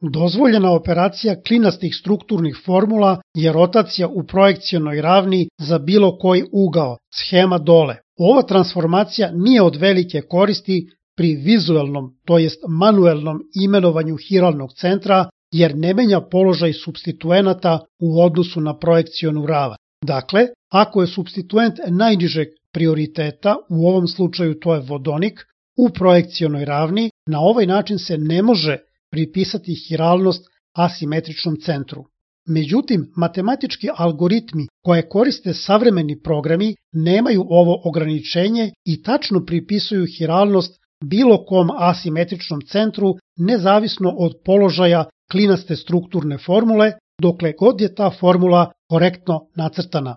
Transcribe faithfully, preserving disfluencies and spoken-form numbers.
Dozvoljena operacija klinastih strukturnih formula je rotacija u projekcionoj ravni za bilo koji ugao, schema dole. Ova transformacija nije od velike koristi pri vizuelnom, to jest manuelnom imenovanju hiralnog centra, jer ne menja položaj supstituenata u odnosu na projekcionu ravan. Dakle, ako je supstituent najnižeg prioriteta, u ovom slučaju to je vodonik, u projekcionoj ravni, na ovaj način se ne može pripisati hiralnost asimetričnom centru. Međutim, matematički algoritmi koje koriste savremeni programi nemaju ovo ograničenje i tačno pripisuju hiralnost bilo kom asimetričnom centru nezavisno od položaja klinaste strukturne formule, dokle god je ta formula korektno nacrtana.